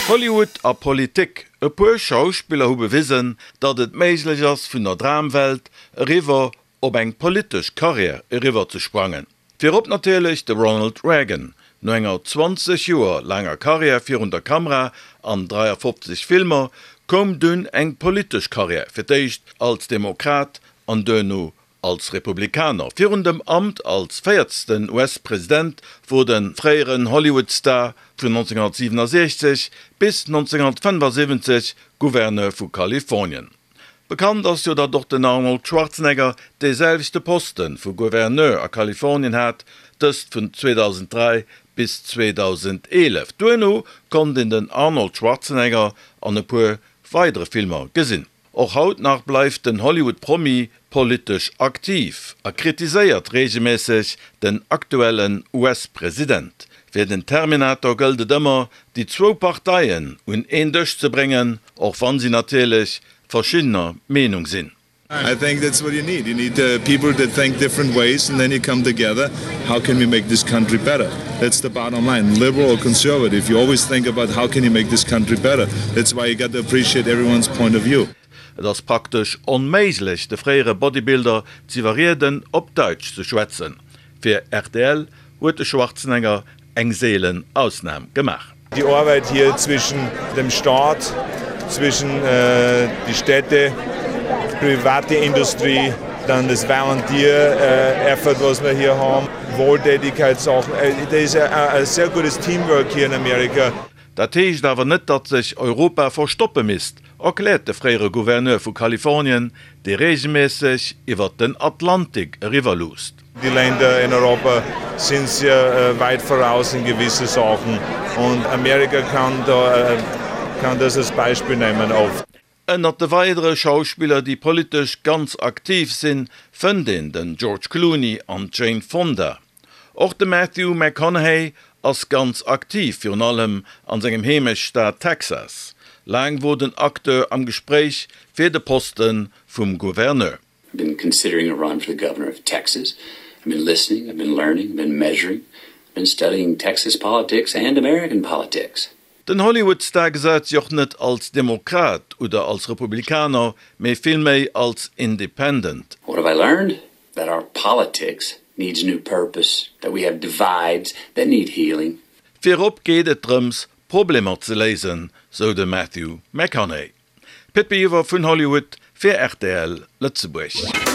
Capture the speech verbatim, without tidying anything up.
Hollywood a Politik, E puer Schauspiller hu bewisen, datt et méiglech ass vun der Dramwelt eriwwer op eng politesch Karriär eriwwer ze sprangen. Virop natierlech de Ronald Reagan. No enger zwanzeg Joer laanger Karriär virun der Kamera an dräiafofzeg Filmer koum dunn eng politesch Karriär, fir d'éischt als Demokrat an duerno als Republikaner. Virun dem Amt als véierzten U S-President wor de fréieren Hollywood-Star vun nonzénghonnertsiwenasechzeg bis nonzénghonnertfënnefasiwwenzeg Gouverneur vu Kalifornien. Bekannt ass jo, datt och den Arnold Schwarzenegger dee selwechte Poste vu Gouverneur a Kalifornien hat, dëst vun zweedausenddräi bis zweedausendeelef. Duerno konnt een den Arnold Schwarzenegger an e puer weidere Filmer gesinn. Och haut nach bleift den Hollywood-Promi politesch aktiv a kritiséiert reegelméisseg den aktuellen U S-President. Fir den Terminator gëllt et ëmmer, déi zwou Parteien un een Dësch ze bréngen, och wann si natierlech verschiddener Meenung sinn. I think that's what you need. You need people that think different ways and then you come together, how can we make this country better? That's the bottom line. Liberal or conservative, you always think about how can you make this country better. That's why you got to appreciate everyone's point of view. Et ass praktesch onméiglech, de fréiere Bodybuilder z'iwwerrieden, op Däitsch ze schwätzen. Fir R T L huet de Schwarzenegger eng seelen Ausnam gemaach. Die Arbeit hier zwischen dem Staat, zwischen die Städte, private Industrie, dann das Volunteer Effort, was wir hier haben, Wohltätigkeitssachen. Da ist ein sehr gutes Teamwork hier in Amerika. Dat heescht awer net, datt sech Europa verstoppe misst, erkläert de fréiere Gouverneur vu Kalifornien, dee reegelméisseg iwwer den Atlantik eriwwer luusst. Die Länder in Europa sind sehr weit voraus in gewisse Sachen und Amerika kann da kann das als Beispiel nehmen oft. Ënnert de weidere Schauspiller, déi politesch ganz aktiv sinn, fënnt een den George Clooney an d'Jane Fonda. Och de Matthew McConaughey ass ganz aktiv, virun allem an sengem Heemechtsstaat Texas. Laang wor den Acteur am Gespréich fir de Poste vum Gouverneur. I've been considering a run for the governor of Texas. I've been listening, I've been learning, I've been measuring, I've been studying Texas politics and American politics. Den Hollywood-Star gesäit sech och net als Demokrat oder als Republikaner, mee villméi als Independent. What have I learned? That our politics needs new purpose, that we have divides that need healing. Virop geet et drëms, Problemer ze léisen, sou de Matthew McConaughey. Pit Biwer vun Hollywood fir R T L Lëtzebuerg.